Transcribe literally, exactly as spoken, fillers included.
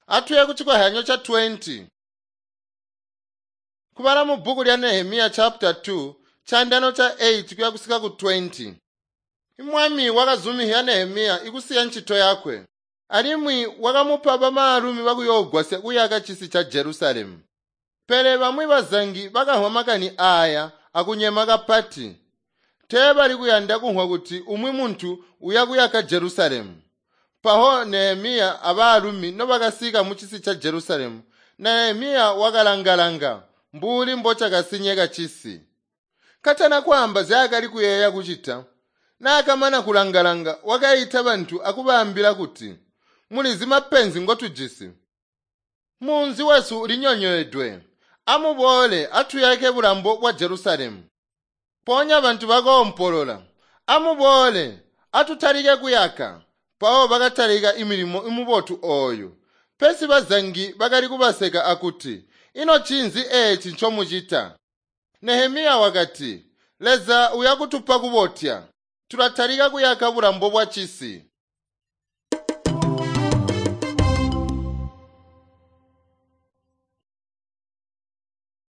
Atuye kucikozyanyo ca twenty. Kubala mubbuku lya Nehemiya chapter two, caandaano ca eight kuya kusika ku twenty. Mwami wakazumihya Nehemiya ikusiya ncito yakwe, alimwi wakamupa bamaalumi bakuyoogwasya kuyaka cisi ca Jerusalemu. Pele bamwi bazangi bakamvwa makani aaya akunyema kapati. Teebali kuyanda kumvwa kuti umwi muntu uya kuyaka Jerusalemu. Mpawo Nehemiya abaalumi nobakasika mucisi ca Jerusalemu, Nehemiya wakalanga-langa mbuli mbocakasinyeka cisi. Katana kwaamba nzyaakali kuyeeya kucita, naakamana kulanga-langa wakaita bantu akubaambila kuti, mulizi mapenzi ngotujisi. Munzi wesu ulinyonyoedwe. Amuboole atuyake bulambo bwa Jerusalemu. Mpoonya bantu bakoompolola, amuboole atutalike kuyaka. Mpawo bakatalika imilimo mibotu ooyu. Pesi bazangi bakali kubaseka akuti, ino ncinzi eeci ncomucita? Nehemiya wakati, Leza uyakutupa kubotya. Tulatalika kuyaka bulambo bwa cisi.